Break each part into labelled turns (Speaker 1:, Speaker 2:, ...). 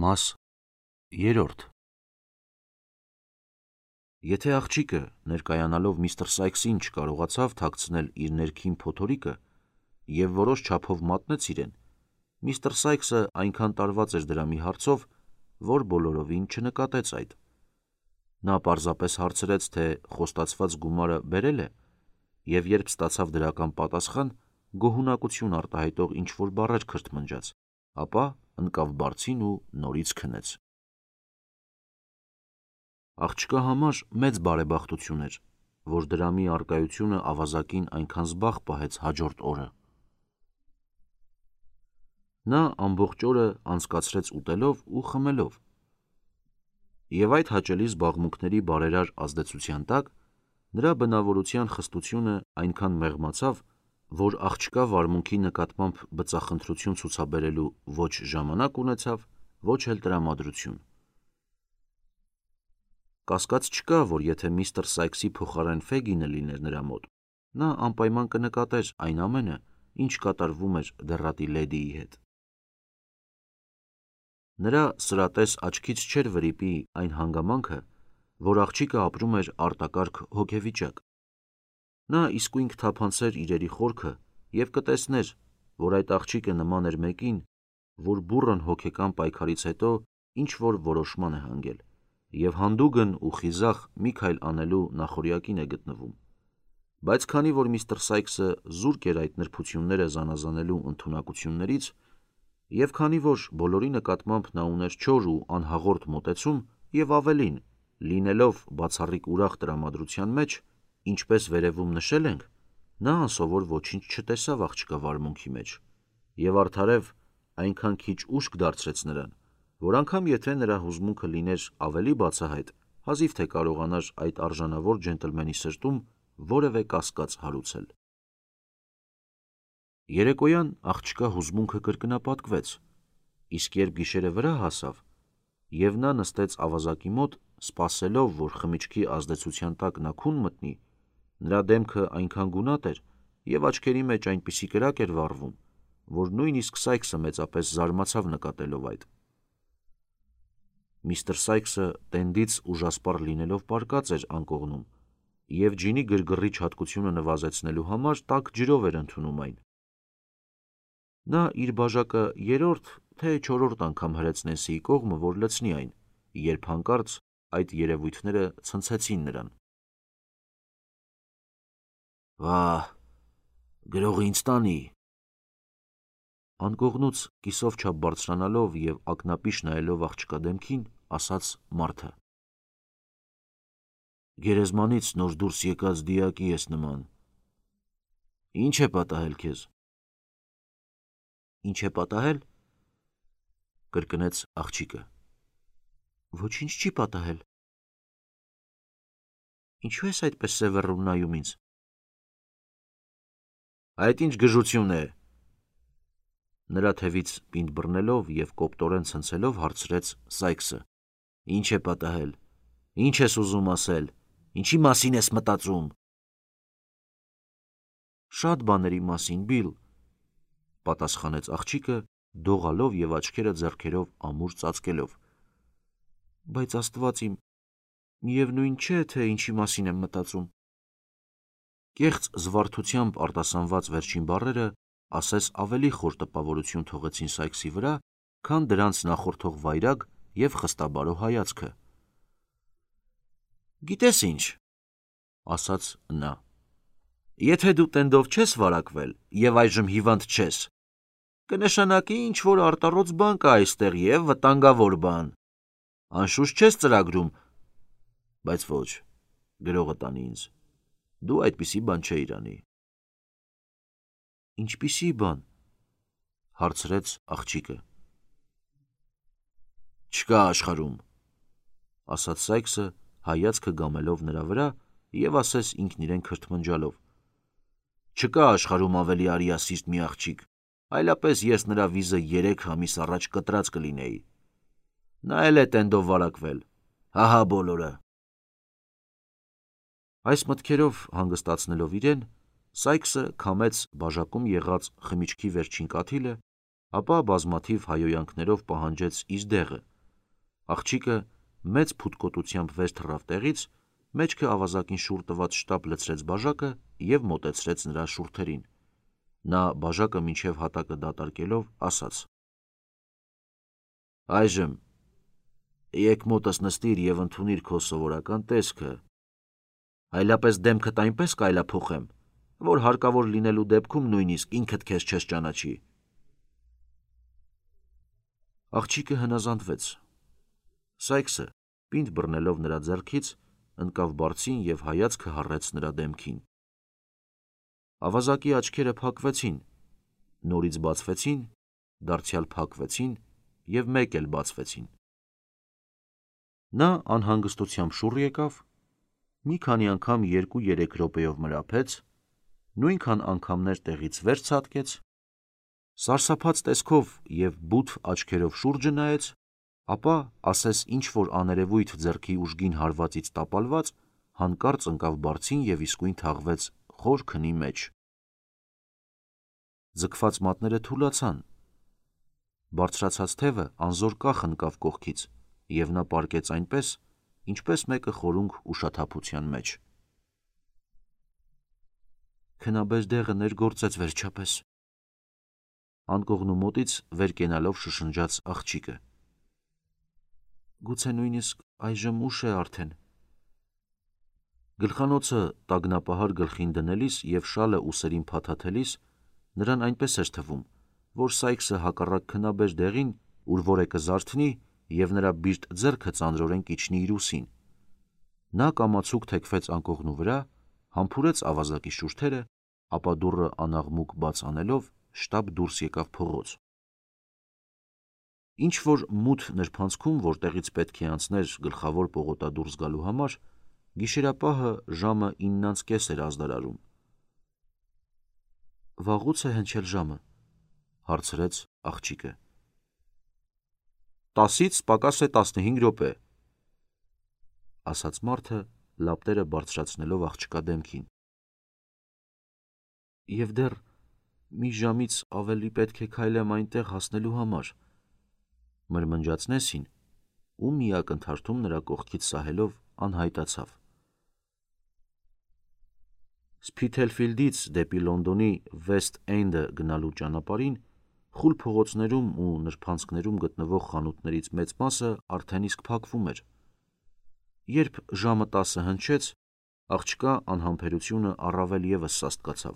Speaker 1: Մաս 3 Եթե աղջիկը ներկայանալով միստր Սայքսին չկարողացավ թաքցնել իր ներքին փոթորիկը և որոշ չափով մատնեց իրեն, միստր Սայքսը այնքան տարված էր դրա մի հարցով, որ բոլորովին չնկատեց այդ։ Նա պարզապես հարցրեց, թե խոստացված գումարը բերել է, և երբ ստացավ դրական պատասխան, գոհունակություն արտահայտող ինչ-որ բառեր քրթմնջաց, ապա ընկավ բարձին ու նորից քնեց։ Աղջկա համար մեծ բարեբախտություն էր, որ դրամի առկայությունը ավազակին այնքան զբաղ պահեց հաջորդ օրը։ Նա ամբողջ օրը անցկացրեց ուտելով ու խմելով, և այդ հաճելի զբաղմունքների բարերար ազդեցության տակ նրա բնավորության խստությունը այնքան մեղմացավ, որ աղջկա վարմունքի նկատմամբ բծախնդրություն ցուցաբերելու ոչ ժամանակ ունեցավ, ոչ էլ տրամադրություն։ Կասկած չկա, որ եթե միստր Սայքսի փոխարեն Ֆեգինը լիներ նրա մոտ, նա անպայման կնկատեր այն ամենը, ինչ կատարվում էր դեռատի լեդիի հետ։ Նրա սրատես աչքից չէր վրիպի այն հանգամանքը, որ աղջիկը ապրում էր արտակարգ հոգեվիճակ։ Նա իսկույն կթափանցեր իրերի խորքը և կտեսներ, որ այդ աղջիկը նման էր մեկին, որ բուռն հոգեկան պայքարից հետո ինչ-որ որոշման է հանգել, և հանդուգն ու խիզախ մի քայլ անելու նախօրյակին է գտնվում։ Բայց քանի որ միստր Սայքսը զուրկ էր այդ նրբությունները զանազանելու ընդունակություններից, և քանի որ բոլորի նկատմամբ նա ուներ չոր ու անհաղորդ մոտեցում, և ավելին, լինելով բացառիկ ուրախ տրամադրության մեջ, ինչպես վերևում նշել ենք, նա անսովոր ոչինչ չտեսավ աղջկա վարմունքի մեջ, և արդարև այնքան քիչ ուշք դարձրեց նրան, որ անգամ եթե նրա հուզմունքը լիներ ավելի բացահայտ, հազիվ թե կարողանար այդ արժանավոր ջենտլմենի սրտում որևէ կասկած հարուցել։ Երեկոյան աղջկա հուզմունքը կրկնապատկվեց, իսկ երբ գիշերը վրա հասավ, և նա նստեց ավազակի մոտ, սպասելով, որ խմիչքի ազդեցության տակ նա քուն մտնի, նրա դեմքը այնքան գունատ էր և աչքերի մեջ այնպիսի կրակ էր վառվում, որ նույնիսկ Սայքսը մեծապես զարմացավ նկատելով այդ։ Միստր Սայքսը տենդից ուժասպառ լինելով պառկած էր անկողնում և ջինի գրգռիչ հատկությունը նվազեցնելու համար տաք ջրով էր ընդունում այն։ Նա իր բաժակը երրորդ, թե չորրորդ անգամ հրեց Նենսիի կողմը, որ լցնի այն, երբ հանկարծ այդ երևույթները ցնցեցին նրան։ «Վա՜, գրողը ինձ տանի», անկողնուց կիսով չափ բարձրանալով և ակնապիշ նայելով աղջկա դեմքին, ասաց մարդը։ «Գերեզմանից նոր դուրս եկած դիակի ես նման։ Ինչ է պատահել քեզ»։ «Ինչ է պատահել», կրկնեց աղջիկը։ «Ոչինչ չի պատահել»։ «Ինչու ես այդպես սևեռում նայում ինձ»։ «Այդ ինչ գժություն է»։ Նրա թևից պինդ բռնելով և կոպտորեն ցնցելով հարցրեց Սայքսը։ «Ինչ է պատահել, ինչ ես ուզում ասել, ինչի մասին ես մտածում»։ «Շատ բաների մասին, Բիլ», պատասխանեց աղջիկը, դողալով և աչքերը ձեռքերով ամուր ծածկելով։ «Բայց Աստված իմ, միևնույն չէ, թե ինչի մասին եմ մտածում»։ Կեղծ զվարթությամբ արտասանված վերջին բառերը ասես ավելի խոր տպավորություն թողեցին Սայքսի վրա, քան դրանց նախորդող վայրագ և խստաբարո հայացքը։ «Գիտես ինչ», ասաց նա, «եթե դու տենդով չես վարակվել և այժմ հիվանդ չես, կնշանակի ինչ-որ արտառոց բան կա այստեղ և վտանգավոր բան։ Անշուշտ չես ծրագրում, բայց ոչ, գրողը տանի ինձ, դու այդպիսի բան չէիր անի»։ «Ինչպիսի բան», հարցրեց աղջիկը։ «Չկա աշխարհում», ասաց Սայքսը, հայացքը գամելով նրա վրա և ասես ինքն իրեն քրթմնջալով, «չկա աշխարհում ավելի արիասիրտ մի աղջիկ, այլապես ես նրա վիզը 3 ամիս առաջ կտրած կլինեի։ Նա էլ է տենդով վարակվել, ահա բոլորը»։ Այս մտքերով հանգստացնելով իրեն, Սայքսը քամեց բաժակում եղած խմիչքի վերջին կաթիլը ապա բազմաթիվ հայոյանքներով պահանջեց իր դեղը։ Աղջիկը մեծ փութկոտությամբ վեր թռավ տեղից, մեջքը ավազակին շուռ տված շտապ լցրեց բաժակը և մոտեցրեց նրա շուրթերին։ Նա բաժակը մինչև հատակը դատարկելով ասաց. «Այժմ եկ մոտս նստիր և ընդունիր քո սովորական տեսքը, այլապես դեմքդ այնպես կայլափոխեմ, որ հարկավոր լինելու դեպքում նույնիսկ ինքդ քեզ չես ճանաչի»։ Աղջիկը հնազանդվեց։ Սայքսը, պինդ բռնելով նրա ձեռքից, ընկավ բարձին և հայացքը հառեց նրա դեմքին։ Ավազակի աչքերը փակվեցին, նորից բացվեցին, դարձյալ փակվեցին և մեկ էլ բացվեցին։ Նա անհանգստությամբ շուռ եկավ, մի քանի անգամ 2-3 րոպեով մրափեց, նույնքան անգամներ տեղից վեր ցատկեց, սարսափած տեսքով և բութ աչքերով շուրջը նայեց, ապա ասես ինչ-որ աներևույթ ձեռքի ուժգին հարվածից տապալված, հանկարծ ընկավ բարձին և իսկույն թաղվեց խոր քնի մեջ։ Ձգված մատները թուլացան, բարձրացած թևը անզոր կախ ընկավ կողքից, և նա պառկեց այնպես, ինչպես մեկը խորունգ ուշաթափության մեջ։ Քնաբեր դեղը ներգործեց վերջապես, անկողնու մոտից վեր կենալով շշնջաց աղջիկը։ Գուցե նույնիսկ այժմ ուշ է արդեն։ Գլխանոցը տագնապահար գլխին դնելիս և շալը ուսերին փաթաթելիս նրան այնպես էր թվում, որ Սայքսը հակառակ քնաբեր դեղին ուր-որ է կզարթնի և նրա բիրտ ձեռքը ծանրորեն կիջնի իր ուսին։ Նա կամացուկ թեքվեց անկողնու վրա, համբուրեց ավազակի շուրթերը, ապա դուռը անաղմուկ բաց անելով շտապ դուրս եկավ փողոց։ Ինչ-որ մութ նրբանցքում, որտեղից պետք է անցներ գլխավոր պողոտադուռ զգալու համար, գիշերապահը ժամը 9:30 էր ազդարարում։ Վաղուց է հնչել ժամը, հարցրեց աղջիկը։ 10-ից պակաս է 15 րոպե, ասաց մարդը, լապտերը բարձրացնելով աղջկա դեմքին։ Եվ դեռ մի ժամից ավելի պետք է քայլեմ այնտեղ հասնելու համար, մրմնջաց Նեսին, ու մի ակնթարթում նրա կողքից սահելով անհայտացավ։ Սփիթելֆիլդից դեպի Լոնդոնի Վեսթ Էնդը գնալու ճանապարհին խուլ փողոցներում ու նրբանցքներում գտնվող խանութներից մեծ մասը արդեն իսկ փակվում էր։ Երբ ժամը 10-ը հնչեց, աղջկա անհամբերությունը առավել ևս սաստկացավ։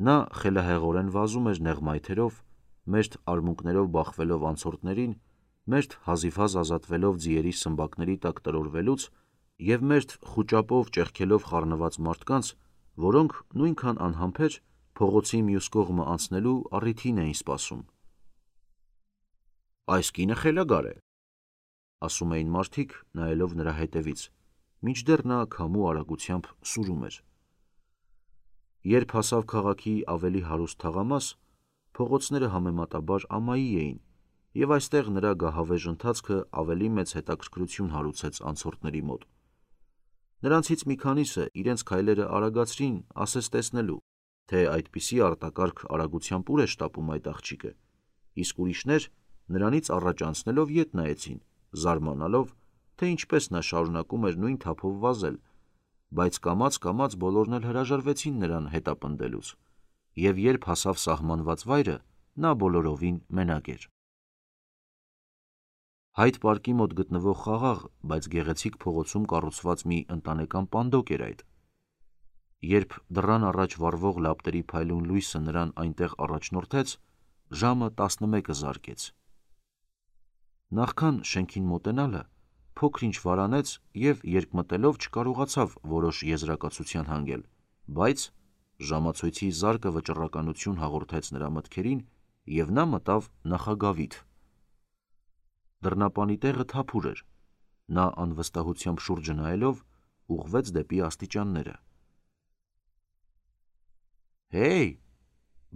Speaker 1: Նա խելահեղորեն վազում էր նեղ մայթերով, մերթ արմունկներով բախվելով անցորդներին, մերթ հազիվհազ ազատվելով ձիերի սմբակների տակ տրորվելուց և մերթ խուճապով ճեղքելով խառնված մարդկանց, որոնք նույնքան անհամբեր փողոցի մյուս կողմը անցնելու առիթին էին սպասում։ «Այս կինը խելագար է», ասում էին մարդիկ, նայելով նրա հետևից, մինչդեռ նա քամու արագությամբ սուրում էր։ Երբ հասավ քաղաքի ավելի հարուստ թաղամաս, փողոցները համեմատաբար ամայի էին, և այստեղ նրա գահավեժ ընթացքը ավելի մեծ հետաքրքրություն հարուցեց անցորդների մոտ։ Նրանցից մի քանիսը իրենց քայլերը արագացրին ասես տեսնելու, թե այդպիսի արտակարգ արագությամբ ուր է շտապում այդ աղջիկը, իսկ ուրիշներ նրանից առաջ անցնելով ետ նայեցին, զարմանալով, թե ինչպես նա շարունակում էր նույն թափով վազել, բայց կամաց-կամաց բոլորն էլ հրաժարվեցին նրան հետապնդելուց, և երբ հասավ սահմանված վայրը, նա բոլորովին մենակ էր։ Հայդ պարկի մոտ գտնվող խաղաղ, բայց գեղեցիկ փողոցում կառուցված մի ընտանեկան պանդոկ էր այդ։ Երբ դռան առաջ վառվող լապտերի փայլուն լույսը նրան այնտեղ առաջնորդեց, ժամը 11-ը զարկեց։ Նախքան շենքին մոտենալը, փոքր-ինչ վարանեց և երկմտելով չկարողացավ որոշ եզրակացության հանգել, բայց ժամացույցի զարկը վճռականություն հաղորդեց նրա մտքերին, և նա մտավ նախագավիթ։ Դռնապանի տեղը թափուր էր, նա անվստահությամբ շուրջը նայելով ուղղվեց դեպի աստիճանները։ «Հեյ,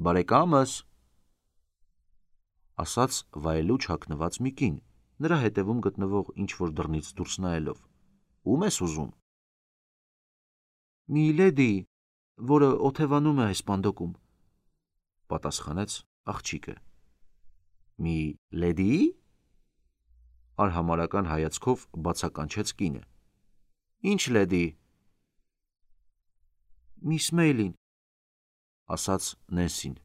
Speaker 1: բարեկամս», ասաց վայելուչ հագնված մի կին, նրա հետևում գտնվող ինչ-որ դռնից դուրս նայելով։ «Ո՞ւմ ես ուզում»։ «Մի լեդի, որը օթևանում է այս պանդոկում», պատասխանեց աղջիկը։ Մի լեդի՞ի։ Արհամարական հայացքով բացականչեց կինը։ Ինչ լեդի։ Միս Մեյլին, ասաց Նենսին։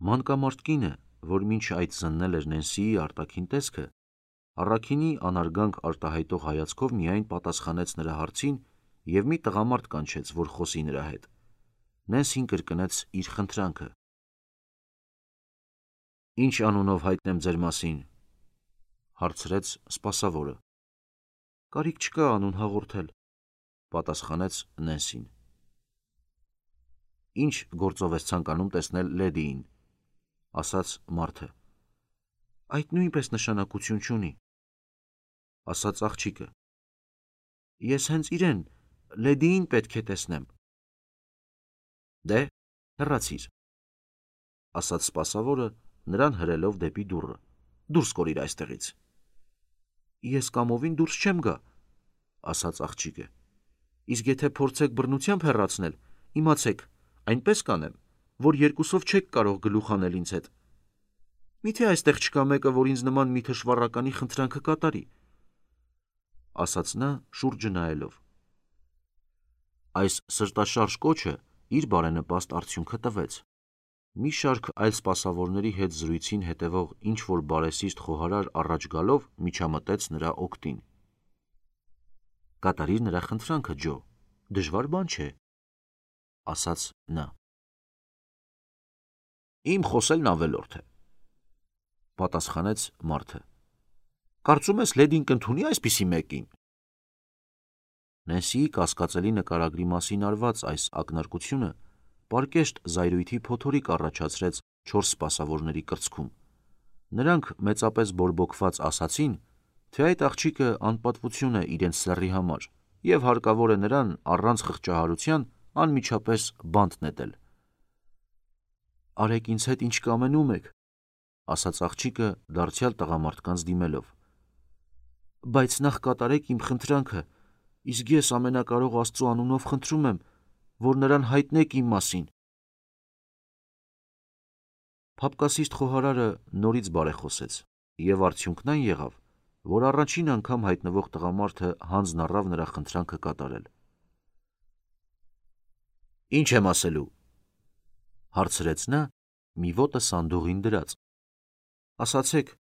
Speaker 1: Մանկամարդ կինը, որ մինչ այդ զննել էր Նենսիի արտաքին տեսքը, առաքինի անարգանք արտահայտող հայացքով միայն պատասխանեց նրա հարցին և մի տղամարդ կանչեց, որ խոսի նրա հետ։ Նենսին կրկնեց իր խնդրանքը։ Ինչ անունով հայտնեմ ձեր մասին, հարցրեց սպասավորը։ Կարիք չկա անուն հաղորդել, պատասխանեց Նենսին։ Ինչ գործով ես ցանկանում տեսնել լեդիին, ասաց մարդը։ Այդ նույնպես նշանակություն չունի, ասաց աղջիկը։ Ես հենց իրեն, լեդիին պետք է տեսնեմ։ Դե, հեռացիր, ասաց սպասավորը, նրան հրելով դեպի դուռը։ Դուրս կորիր այստեղից։ Ես կամովին դուրս չեմ գա, ասաց աղջիկը։ Իսկ եթե փորձեք բռնությամբ հեռացնել, իմացեք, այնպես կանեմ, որ երկուսով չեք կարող գլուխ անել ինձ հետ։ Միթե այստեղ չկա մեկը, որ ինձ նման մի թշվառականի խնդրանքը կատարի, ասաց նա շուրջը նայելով։ Այս սրտաշարժ կոչը իր բարենպաստ արդյունքը տվեց։ Մի շարք այլ սպասավորների հետ զրույցին հետևող ինչ-որ բարեսիրտ խոհարար առաջ գալով միջամտեց նրա օգտին։ Կատարիր նրա խնդրանքը, Ջո, դժվար բան չէ, ասաց նա։ Իմ խոսելն ավելորդ է, պատասխանեց մարդը։ Կարծում ես լեդին կընդունի այսպիսի մեկին։ Նենսիի կասկածելի նկարագրի մասին արված այս ակնարկությունը պարկեշտ զայրույթի փոթորիկ առաջացրեց 4 սպասավորների կրծքում։ Նրանք մեծապես բորբոքված ասացին, թե այդ աղջիկը անպատվություն է իրենց սեռի համար և հարկավոր է նրան առանց խղճահարության անմիջապես բանտ նետել։ Արեք ինձ հետ ինչ կամենում եք, ասաց աղջիկը դարձյալ տղամարդկանց դիմելով։ Բայց նախ կատարեք իմ խնդրանքը, իսկ ես ամենակարող Աստծու անունով խնդրում եմ, որ նրան հայտնեք իմ մասին։ Փափկասիրտ խոհարարը նորից բարեխոսեց, և արդյունքն այն եղավ, որ առաջին անգամ հայտնվող տղամարդը հանձն առավ նրա խնդրանքը կատարել։ Ինչ եմ ասելու, հարցրեց նա, մի ոտը սանդուղին դրած։ Ասացեք,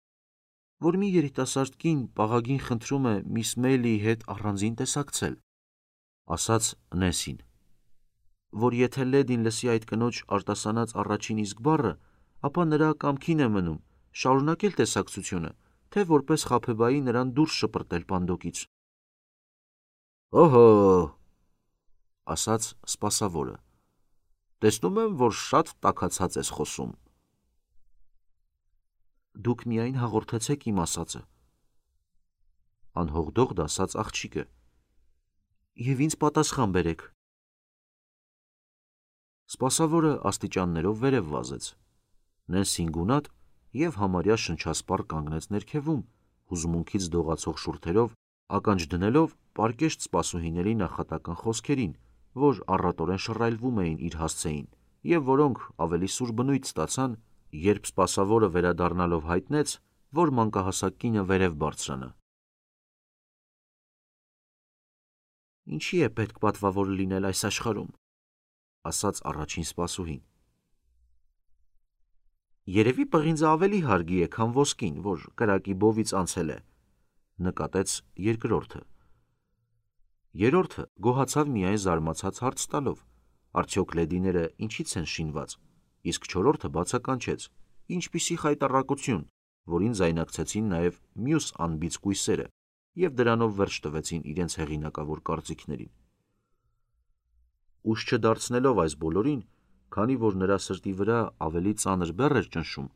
Speaker 1: որ մի երիտասարդ կին պաղագին խնդրում է միս Մեյլիի հետ առանձին տեսակցել, ասաց Նենսին, որ եթե լեդին լսի այդ կնոջ արտասանած առաջին իսկ բառը, ապա նրա կամքին է մնում շարունակել տեսակցությունը, թե որպես խաբեբայի նրան դուրս շպրտել պանդոկից։ Օհո, ասաց սպասավորը, տեսնում եմ, որ շատ տաքացած ես խոսում։ Դուք միայն հաղորդեցեք իմ ասածը, անհողդող դասաց աղջիկը, և ինձ պատասխան բերեք։ Սպասավորը աստիճաններով վերև վազեց։ Նենսին գունատ և համարյա շնչասպառ կանգնեց ներքևում, հուզմունքից դողացող շուրթերով ականջ դնելով պարկեշտ սպասուհիների նախատական խոսքերին, որ առատորեն շռայլվում էին իր հասցեին, և որոնք ավելի սուր բնույթ ստացան, երբ սպասավորը վերադառնալով հայտնեց, որ մանկահասակ կինը վերև բարձրանա։ Ինչի է պետք պատվավոր լինել այս աշխարհում, ասաց առաջին սպասուհին։ Երևի պղինձը ավելի հարգի է, քան ոսկին, որ կրակի բովից անցել է, նկատեց երկրորդը։ Երրորդը գոհացավ միայն զարմացած հարց տալով, արդյոք լեդիները ինչից են շինված, իսկ չորրորդը բացականչեց, ինչպիսի խայտառակություն, որին զայնակցեցին նաև մյուս անբիծ կույսերը և դրանով վերջ տվեցին իրենց հեղինակավոր կարծիքներին։ Ուշ չդարձնելով այս բոլորին, քանի որ նրա սրտի վրա ավելի ծանր բեռ էր ճնշում,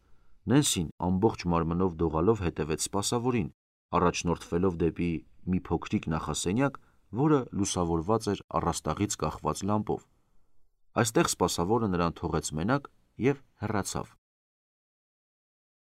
Speaker 1: Նենսին ամբողջ մարմնով դողալով հետևեց սպասավորին, առաջնորդվելով դեպի մի փոքրիկ նախասենյակ, որը լուսավորված էր առաստաղից կախված լամպով։ Այստեղ սպասավորը նրան թողեց մենակ և հեռացավ։